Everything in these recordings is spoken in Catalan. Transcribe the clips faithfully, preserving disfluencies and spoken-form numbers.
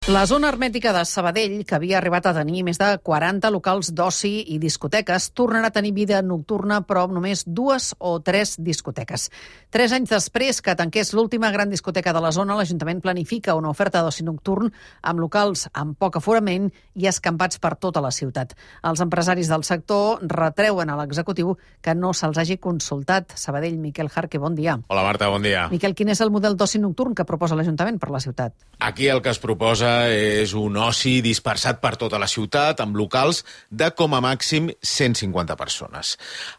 La zona hermètica de Sabadell, que havia arribat a tenir més de quaranta locals d'oci i discoteques, tornarà a tenir vida nocturna, però amb només dues o tres discoteques. Tres anys després que tanqués l'última gran discoteca de la zona, l'Ajuntament planifica una oferta d'oci nocturn amb locals amb poc aforament i escampats per tota la ciutat. Els empresaris del sector retreuen a l'executiu que no se'ls hagi consultat. Sabadell, Miquel Jarque, bon dia. Hola Marta, bon dia. Miquel, quin és el model d'oci nocturn que proposa l'Ajuntament per la ciutat? Aquí el que es proposa és un oci dispersat per tota la ciutat, amb locals de com a màxim cent cinquanta persones.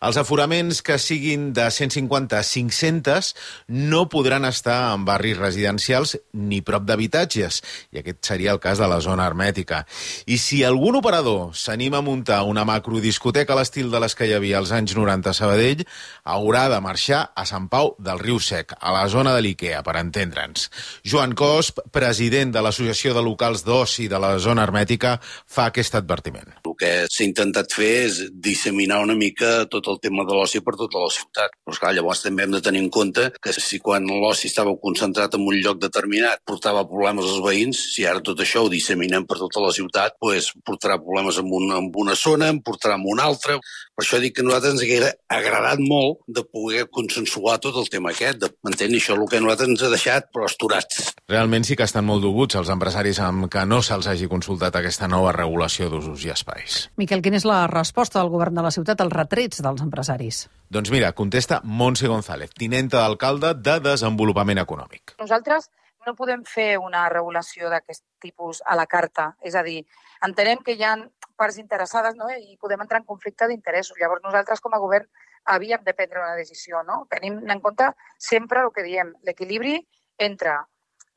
Els aforaments que siguin de cent cinquanta a cinc-centes no podran estar en barris residencials ni prop d'habitatges, i aquest seria el cas de la zona hermètica. I si algun operador s'anima a muntar una macrodiscoteca a l'estil de les que hi havia als anys noranta a Sabadell, haurà de marxar a Sant Pau del Riu Sec, a la zona de l'Ikea, per entendre'ns. Joan Cosp, president de l'Associació de Locals d'Oci de la zona hermètica, fa aquest advertiment. El que s'ha intentat fer és disseminar una mica tot el tema de l'oci per tota la ciutat. Però esclar, llavors també hem de tenir en compte que si quan l'oci estava concentrat en un lloc determinat portava problemes als veïns, si ara tot això ho disseminem per tota la ciutat, doncs portarà problemes en una, en una zona, en portarà en una altra. Per això dic que a nosaltres ens hauria agradat molt de poder consensuar tot el tema aquest, de mantenir això, el que a nosaltres ens ha deixat però esturats. Realment sí que estan molt doguts els empresaris amb que no se'ls hagi consultat aquesta nova regulació d'usos i espais. Miquel, quina és la resposta del govern de la ciutat als retrets dels empresaris? Doncs mira, contesta Montse González, tinenta d'alcalde de Desenvolupament Econòmic. Nosaltres no podem fer una regulació d'aquest tipus a la carta, és a dir, entenem que hi ha parts interessades, no? I podem entrar en conflicte d'interessos. Llavors nosaltres com a govern havíem de prendre una decisió, no? Tenim en compte sempre el que diem, l'equilibri entre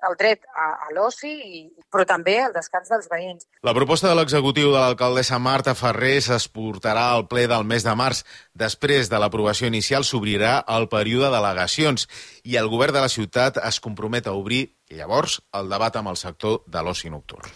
el dret a, a l'oci, però també el descans dels veïns. La proposta de l'executiu de l'alcaldessa Marta Ferrer es portarà al ple del mes de març. Després de l'aprovació inicial s'obrirà el període d'al·legacions i el govern de la ciutat es compromet a obrir llavors el debat amb el sector de l'oci nocturn.